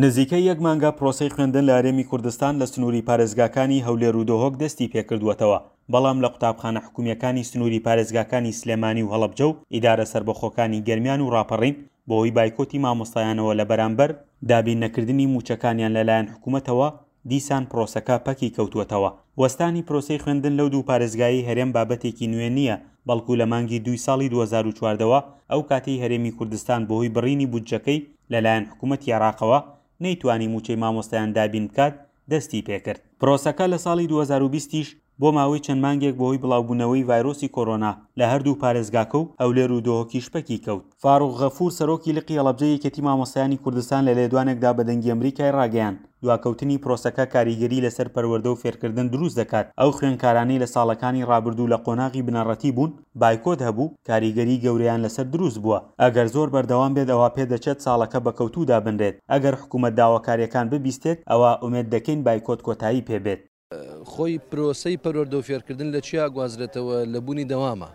نزیکەی یەک مانگە پرۆسەی خوێندن لە هەرێمی کوردستان لە سنووری پارێزگاکانی هەولێر و دهۆک دەستی پێکردووەتەوە، بەڵام لە قوتابخانە حکومییەکانی سنووری پارێزگاکانی سلێمانی و هەڵەبجە و ئیدارە سەربەخۆکانی گەرمیان و ڕاپەڕین بەهۆی بایکۆتی مامۆستایانەوە لە بەرامبەر دابین نەکردنی مووچەکانیان لەلایەن حکومەتەوە دیسان پرۆسەکە پەکی کەوتووەتەوە. وەستانی پرۆسەی خوێندن لەو دوو پارێزگایەی هەرێم بابەتێکی نوێ نییە، بەڵکو لە مانگی دووی ساڵی 2014 وە ئەو کاتەی هەرێمی کوردستان بەهۆی بڕینی بودجەکەی لەلایەن حکومەتی عێراقەوە نەیتوانی مووچەی مامۆستایان دابین بکات دەستی پێکرد. پرۆسەکە لە ساڵی 2020 یش بۆ ماوەی چەند مانگێک بەهۆی بڵاوبوونەوەی ڤایرۆسی کۆرۆنا لە هەردوو پارێزگاکە و هەولێر و دهۆکیش پەکی کەوت. فاروق غەفور سەرۆکی لقی هەڵەبجەی یەکێتی مامۆستایانی کوردستان لە لێدوانێکدا بە دەنگی ئەمریکای ڕاگەیاند، دواکەوتنی پرۆسەکە کاریگەری لەسەر پەروەردە و فێرکردن دروست دەکات، ئەو خوێندکارانەی لە ساڵەکانی ڕابردوو لە قۆناغی بنەڕەتی بوون بایکۆت هەبوو، کاریگەری گەورەیان لەسەر دروست بووە، ئەگەر زۆر بەردەوام بێت ئەوا پێدەچێت ساڵەکە بە کەوتوو دابنرێت، ئەگەر حکومەت داواکارییەکان ببیستێت ئەوا ئومێد دەکەین بایکۆت کۆتایی پێبێت. خۆی پرۆسەی پەروەردە و فێرکردن لە چیا گوازرێتەوە لە بوونی دەوامە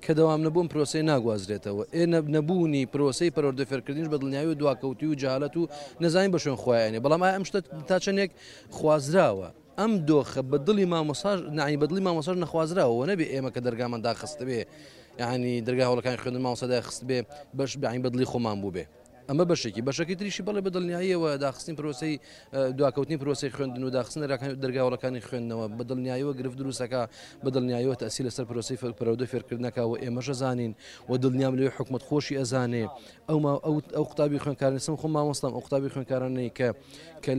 کە دەوام نەبوون پرۆسەی ناگوازرێتەوە ئێ نەبوونی پرۆسەی پەروەردە فێرکردنیش بە دڵنیایی و دواکەوتوی و جەهالەت و نەزانین بە شوێن خۆیانێ بەڵام ئایا ئەم شتە تا چەندێک خوازراوە ئەم دۆخە بە دڵی مامۆساش نعنی بە دڵی مامۆساش نەخوازراوە و نەبێ ئێمە کە دەرگامان داخستبێ یعنی دەرگای هۆڵەکانی خوێندن مامۆستا داخستبێ بەش بەعین بە دڵی خۆمان بووبێ. ئەمە بەشێکی، بەشەکەی تریشی بەڵێ بە دڵنیاییەوە داخستنی پرۆسەی دواکەوتنی پرۆسەی خوێندن و داخستن دەرگا هۆڵەکانی خوێندنەوە بە دڵنیاییەوە گرفت دروستەکە بە دڵنیاییەوە تەئسیر لەسەر پرۆسەی پەروەردە فێرکردنەکە و ئێمەش ئەزانین و دڵنیام لەوەی حکومەت خۆشی ئەزانێ ئەو ئەو ئەو قوتابی خوێندکارانی سم خۆم مامۆستام ئەو قوتابی خوێندکارانەی کە کە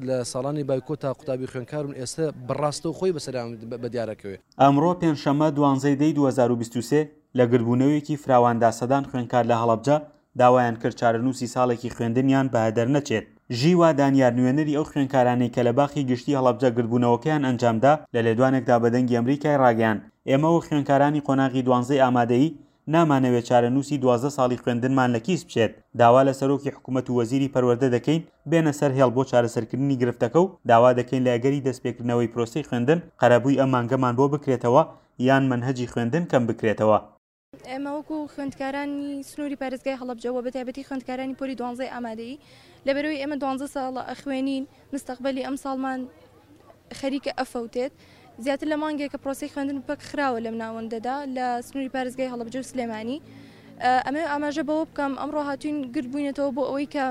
لە ساڵانی بایکۆتا قوتابی خوێندکارون ئێستا بەڕاستەوخۆی بەسەریان بە دیارەکەوێ. ئەمڕۆ پێنجشەممە دوانزەی دەی 2023 لە گردبوونەوەیەکی فراواندا سەدان خوێندکار لە هەڵەبجە داوایان کرد چارەنووسی ساڵێکی خوێندنیان بە هەدەر نەچێت. ژیوا دانیار نوێنەری ئەو خوێندکارانەی کە لە باخی گشتی هەڵەبجە گردبوونەوەکەیان ئەنجامدا لە لێدوانێکدا بە دەنگی ئەمریکای ڕاگەیاند ئێمە وەک خوێندکارانی قۆناغی دوانزەی ئامادەیی نامانەوێت چارەنووسی 12 ساڵی خوێندنمان لە کیس بچێت داوا لە سەرۆکی حکومەت و وەزیری پەروەردە دەکەین بێنە سەر هێڵ بۆ چارەسەرکردنی گرفتەکە و داوا دەکەین لە ئەگەری دەستپێکردنەوەی پرۆسەی خوێندن قەرەبووی ئەم مانگەمان بۆ بکرێتەوە یان مەنهەجی خوێندن کەم بکرێتەوە. ئێمە وەکو خوێندکارانی سنووری پارێزگای هەڵەبجە و بەتایبەتی خوێندکارانی پۆلی دوانزەی ئامادەیی لەبەرەوەی ئێمە دوانزە ساڵە ئەخوێنین مستەقبەلی ئەمساڵمان خەریکە ئەفەوتێت زیاتر لە مانگێکە پرۆسەی خوێندن پەک خراوە لەم ناوەندەدا لە سنووری پارێزگای هەڵەبجە و سلێمانی ئەمە ئاماژە بەوە بکەم ئەمڕۆ هاتوین گرد بووینەتەوە بۆ ئەوەی کە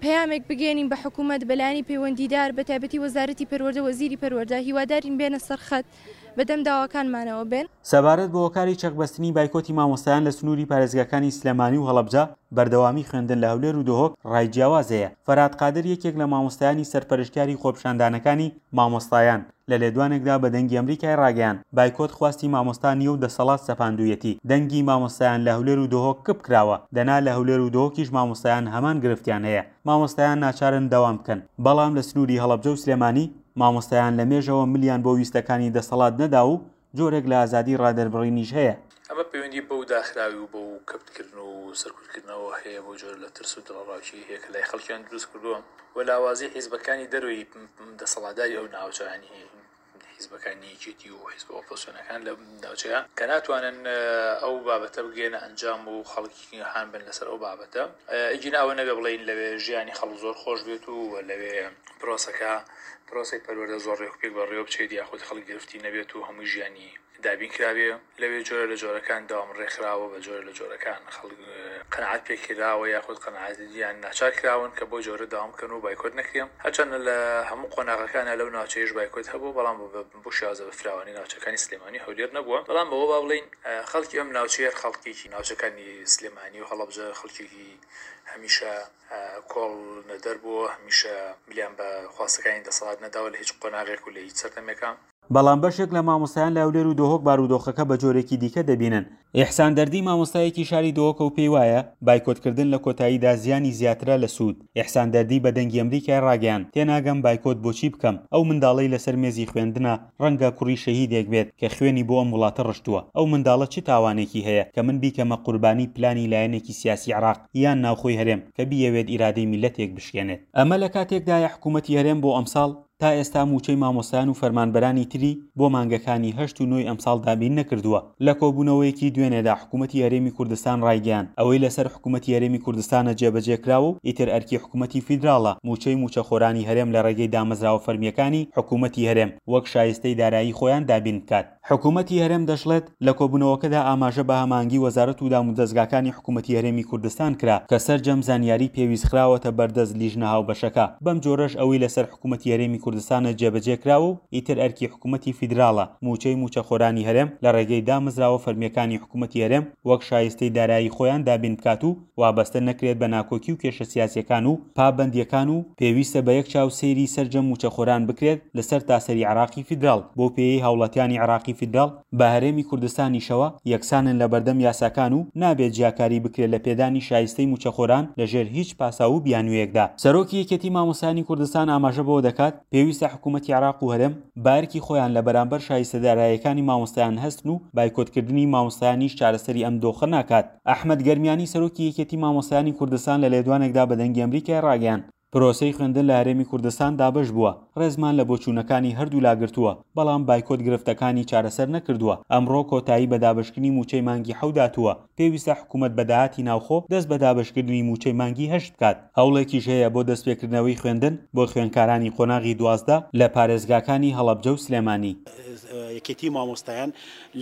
پەیامێک بگەیەنین بە حکوومەت، بە لایەنی پەیوەندیدار، بە تایبەتی وەزارەتی پەروەردە، وەزیری پەروەردە، هیوادارین بێنە سەر خەت، بە دەم داواکانمانەوە بێن. سەبارەت بە هۆکاری چەقبەستنی بایکۆتی مامۆستایان لە سنووری پارێزگاکانی سلێمانی و هەڵەبجە، بەردەوامی خوێندن لە هەولێر و دهۆک ڕای جیاواز هەیە. فەرهاد قادر یەکێک لە مامۆستایانی سەرپەرشتیاری خۆپیشاندانەکانی مامۆستایان، لە لێدوانێکدا بە دەنگی ئەمریکای ڕاگەیاند، بایکۆت خواستی مامۆستا نییە و دەسەڵات سەپاندوویەتی، دەنگی مامۆستایان لە هەولێر و دهۆک کپ کراوە، دەنا لە هەولێر و دهۆکیش مامۆستایان هەمان گرفتیان هەیە، مامۆستایان ناچارن دەوام بکەن، بەڵام لە سنووری هەڵەبجە و سلێمانی مامۆستایان لە مێژەوە ملیان بۆ ویستەکانی دەسەڵات نەداوە و جۆرێک لە ئازادی ڕادەربڕینیش هەیە. ئەمە پەیوەندی بەو داخراوی و بەو کەپتکردن و سەرکوتکردنەوە هەیە، بەو جۆرە لە ترس و دڵەڕاوکێی هەیە کە لای خەڵکیان دروست کردووە و لاوازی حیزبەکانی دەرەوەی دەسەڵاتداری ئەو ناوچە یانی حیزبەکانی یەکێتی و حیزبە ئۆپۆزسیۆنەکان لە ناوچەیە کە ناتوانن ئەو بابەتە بگەێنە ئەنجام و خەڵکی هان بن لەسەر ئەو بابەتە ئەگینا ئەوە نەبێ بڵێین لەوێ ژیانی خەڵک زۆر خۆش بێت و لەوێ پرۆسەکە پرۆسەی پەروەردە زۆر ڕێک و پێک بەڕێوە بچێت یاخود خەڵک گرفتی نەبێت و هەمووی ژیانی دابین کرابێ لەوێ جۆرە لە جۆرەکان دەوام ڕێکخراوە بە جۆرە لە جۆرەکان خەڵک قەناعەت پێکراوە یاخود قەناعەت یان ناچار کراون کە بۆ جۆرە دەوام بکەن و بایکۆت نەکرێ هەرچەندە لە هەموو قۆناغەکانا لەو ناوچەیەش بایکۆت هەبووە بەڵام بۆ شێوازە بە فراوانی ناوچەکانی سلێمانی و هەولێر نەبووە بەڵام بەوە با بڵێین خەڵکی ئەم ناوچەیە خەڵکێکی ناوچەکانی سلێمانی و هەڵەبجە خەڵکێکی هەمیشە کۆڵ نەدەر بووە، هەمیشە ملیان بە خواستەکانی دەسەڵات نەداوە لە هیچ قۆناغێک و لە هیچ سەردەمێکا. بەڵام بەشێک لە مامۆستایان لە هەولێر و دهۆک بارودۆخەکە بە جۆرێکی دیکە دەبینن. ئیحسان دەردی مامۆستایەکی شاری دهۆکە و پێی وایە، بایکۆتکردن لە کۆتاییدا زیانی زیاترە لە سوود. ئیحسان دەردی بە دەنگی ئەمریکای ڕاگەیاند، تێناگەم بایکۆت بۆچی بکەم، ئەو منداڵەی لەسەر مێزی خوێندنە ڕەنگە کوڕی شەهیدێک بێت کە خوێنی بۆ ئەم وڵاتە ڕشتووە، ئەو منداڵە چ تاوانێکی هەیە کە من بیکەمە قوربانی پلانی لایەنێکی سیاسی عێراق یان ناوخۆی هەرێم کە بیەوێت ئیرادەی میللەتێک بشکێنێت. ئەمە لە کاتێکدایە حکوومەتی هەرێم بۆ ئەمساڵ. تا ئێستا مووچەی مامۆستایان و فەرمانبەرانی تری بۆ مانگەکانی هەشت و نۆی ئەمساڵ دابین نەکردووە. لە کۆبوونەوەیەکی دوێنێدا حکوومەتی هەرێمی کوردستان ڕایگەیاند، ئەوەی لەسەر حکوومەتی هەرێمی کوردستانە جێبەجێ کراوە و ئیتر ئەرکی حکوومەتی فیدراڵە مووچەی مووچەخۆرانی هەرێم لە ڕێگەی دامەزراوە فەرمییەکانی حکوومەتی هەرێم وەک شایستەی دارایی خۆیان دابین بکات. حکوومەتی هەرێم دەشڵێت، لە کۆبوونەوەکەدا ئاماژە بە هەماهەنگی وەزارەت و دامودەزگاکانی حکوومەتی هەرێمی کوردستان کرا کە سەرجەم زانیاری پێویست خراوەتە بەردەست لیژنە هاوبەشەکە، بەم جۆرەش ئەوەی لەسەر حکوومەتی هەرێمی کوردستانە جێبەجێ کراوە و ئیتر ئەرکی حکوومەتی فیدراڵە مووچەی مووچەخۆرانی هەرێم لە ڕێگەی دامەزراوە فەرمییەکانی حکوومەتی هەرێم وەک شایستەی دارایی خۆیان دابین بکات و وابەستە نەکرێت بە ناکۆکی و کێشە سیاسیەکان و پابەندیەکان و پێویستە بە یەک چاو سەیری سەرجەم مووچەخۆران بکرێت لە سەرتاسەری عێراقی فیدراڵ، بەو پێیەی هاوڵاتیانی عێراقی فیدراڵ بە هەرێمی کوردستانیشەوە یەکسانن لە بەردەم یاساکان و نابێت جیاکاری بکرێت لە پێدانی شایستەی مووچەخۆران لە ژێر هیچ پاساو و بیانوویەکدا. سەرۆکی یەکێتی مامۆستایانی کوردستان ئاماژە بەوە دەکات، پێویستە حکوومەتی عێراق و هەرێم بە ئەرکی خۆیان لە بەرامبەر شایستە داراییەکانی مامۆستایان هەستن و بایکۆتکردنی مامۆستایانیش چارەسەری ئەم دۆخە ناکات. ئەحمەد گەرمیانی سەرۆکی یەکێتی مامۆستایانی کوردستان لە لێدوانێکدا بە دەنگی ئەمریکای ڕاگەیاند، پرۆسەی خوێندن لە هەرێمی کوردستان دابەش بووە، ڕێزمان لە بۆچوونەکانی هەردوولا گرتووە، بەڵام بایکۆت گرفتەکانی چارەسەر نەکردووە، ئەمڕۆ کۆتایی بە دابەشکردنی مووچەی مانگی حەوت هاتووە، پێویستە حکومەت بە داهاتی ناوخۆ دەست بە دابەشکردنی مووچەی مانگی هەشت بکات. هەوڵێکیش هەیە بۆ دەستپێکردنەوەی خوێندن بۆ خوێندکارانی قۆناغی 12 لە پارێزگاکانی هەڵەبجە و سلێمانی. یەکێتی مامۆستایان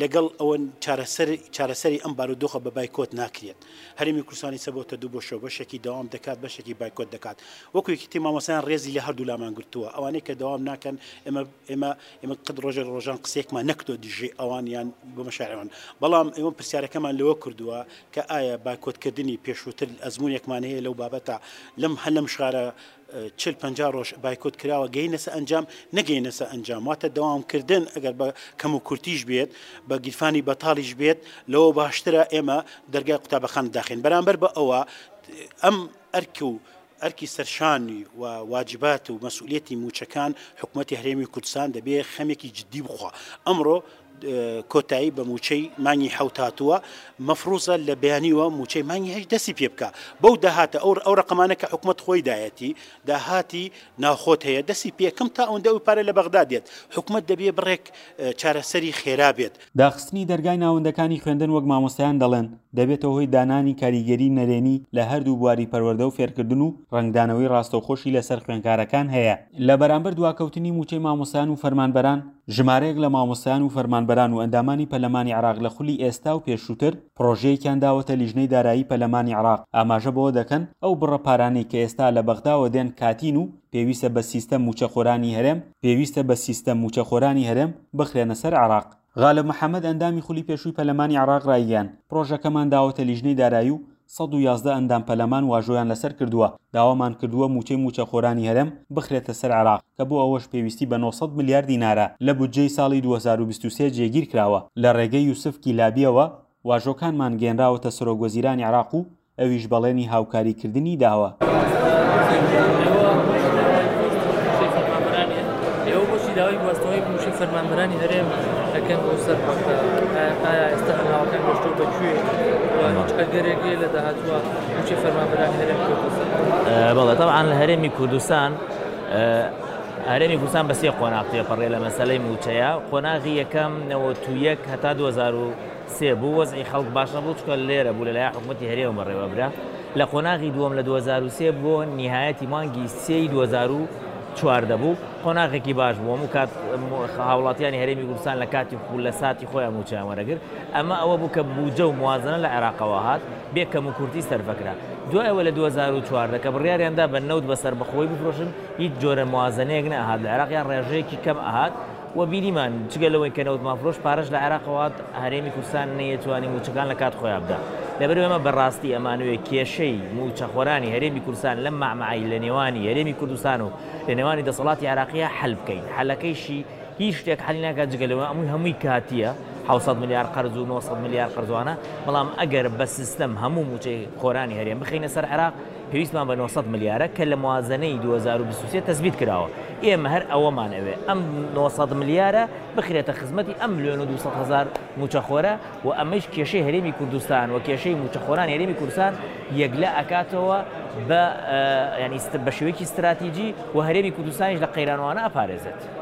لەگەڵ ئەوەن چارەسەر چارەسەری ئەم بارودۆخە بە بایکۆت ناکرێت. هەرێمی کوردستان ئیستا بۆتە دوو بەشەوە، بەشێکی دەوام دەکات، بەشێکی بایکۆت دەکات. وەکو یەکێتی مامۆستایان ڕێزی لە هەردوو لامان گرتووە. ئەوانەی کە دەوام ناکەن ئێمە ئێمە ئێمە قەت ڕۆژێک لە ڕۆژان قسەیەکمان نەکردووە دژی ئەوان یان بۆ مەشاعری ئەوان. بەڵام ئێمە پرسیارەکەمان لەوە کردووە کە ئایا بایکۆتکردنی پێشووتر ئەزموونێکمان هەیە لەو بابەتە لەم هەر لەم شارە 40 50 ڕۆژ بایکۆت کراوە گەینە سە ئەنجام نەگەینە سە ئەنجام واتە دەوامکردن ئەگەر بە کەم و کورتیش بێت بە گیرفانی بەتاڵیش بێت لەوە باشترە ئێمە دەرگای قوتابخانە داخین بەرامبەر بە ئەوە ئەم ئەرک و ئەرکی سەرشانی و واجبات و مەسئولیەتی مووچەکان حکوومەتی هەرێمی کوردستان دەبێ خەمێکی جددی بخوا ئەمڕۆ کۆتایی بە مووچەی مانگی حەوت هاتووە، مەفروزە لە بەیانیوە مووچەی مانگی هەشت دەستی پێ بکا. بەو داهاتە ئەو ئەو ڕەقەمانە کە حکومەت خۆی دایەتی، داهاتی ناوخۆت هەیە دەستی پێ کەم تا ئەوەندە ئەو پارە لە بەغدا دێت. حکومەت دەبێ بڕێک چارەسەری خێرا بێت. داخستنی دەرگای ناوەندەکانی خوێندن وەک مامۆستایان دەڵێن، دەبێتە هۆی دانانی کاریگەری نەرێنی لە هەردوو بواری پەروەردە و فێرکردن و ڕەنگدانەوەی ڕاستەوخۆشی لەسەر خوێندکارەکان هەیە. لە بەرامبەر دواکەوتنی مووچەی مامۆستایان و فەرمانبەران، ژمارەیەک لە مامۆستایان و فەرمانبەران و ئەندامانی پەرلەمانی عێراق لە خولی ئێستا و پێشووتر پڕۆژەیەکیان داوەتە لیژنەی دارایی پەرلەمانی عێراق ئاماژە بەوە دەکەن ئەو بڕە پارانەی کە ئێستا لە بەغداوە دێن کاتین و پێویستە بە سیستەم مووچەخۆرانی هەرێم پێویستە بە سیستەم مووچەخۆرانی هەرێم بخرێنە سەر عێراق. غالب محەمەد ئەندامی خولی پێشووی پەرلەمانی عێراق رایگەیاند، پڕۆژەکەمان داوەتە لیژنەی دارایی و 111 ئەندام پەرلەمان واژۆیان لەسەر کردووە، داوامان کردووە مووچەی مووچەخۆرانی هەرێم بخرێتە سەر عێراق، کە بۆ ئەوەش پێویستی بە 900 ملیار دینارە لە بودجەی ساڵی 2023 جێگیر کراوە، لە ڕێگەی یوسف کیلابییەوە واژۆکانمان گەیەنراوەتە سەرۆکوەزیرانی عێراق و ئەویش بەڵێنی هاوکاریکردنی داوە. بەڵێ تەبعەن لە هەرێمی کوردستان هەرێمی کوردستان بە سێ قۆناغ تێپەڕێ لە مەسەلەی مووچەیە قۆناغی یەکەم 91 هەتا 2003 بوو وەزعی خەڵک باش نەبوو چونکە لێرە بوو لەلایەن حکوومەتی هەرێمەوە بەڕێوە برا لە قۆناغی دووەم لە 2003 بۆ نیهایەتی مانگی سێی 2014 بوو قۆناغێکی باش بوو هەموو کات هاوڵاتیانی هەرێمی کوردستان لە کاتی خو لە ساتی خۆیان مووچەیان وەرەگرت ئەمە ئەوە بوو کە بوجە و موازنە لە عێراقەوە هات بێ کەموکورتی سەرفەکرا. دوای ئەوە لە 2014 کە بڕیاریان دا بە نەوت بە سەربەخۆیی بفرۆشن هیچ جۆرە موازنەیەک نەئەهات لە عێراق یان ڕێژەیەکی کەم ئەهات و بینیمان جگە لەوەی کە نەوتمان فرۆشت پارەش لە عێراقەوە هات هەرێمی کوردستان نەیەتوانی مووچەکان لە کات خۆیان بدا. لەبەرئەوەی ئێمە بەڕاستی ئەمانەوێ کێشەی مووچەخۆرانی هەرێمی کوردستان لەم مەعمەعەی لە نێوانی هەرێمی کوردستان و لە نێوانی دەسەڵاتی عێراقییا حەل بکەین. حەلەکەیشی هیچ شتێک حەلی ناکات جگە لەوە ئەموی هەمووی کاتییە. 700 ملیار قەرز و 900 ملیار قەرزوانە، بەڵام ئەگەر بە سیستەم هەموو مووچەی خۆرانی هەرێم بخەینە سەر عێراق پێویستمان بە 900 ملیارە کە لە موازنەی 2023 تەسبیت کراوە. ئێمە هەر ئەوەمان ئەوێ ئەم 900 ملیارە بخرێتە خزمەتی ئەم ملیۆن و 200 هەزار مووچەخۆرە و ئەمەیش کێشەی هەرێمی کوردستان و کێشەی مووچەخۆرانی هەرێمی کوردستان یەکلا ئەکاتەوە بە ینی بە شێوەیەکی ستراتیجی و هەرێمی کوردستانیش لە قەیرانوانە ئەپارێزێت.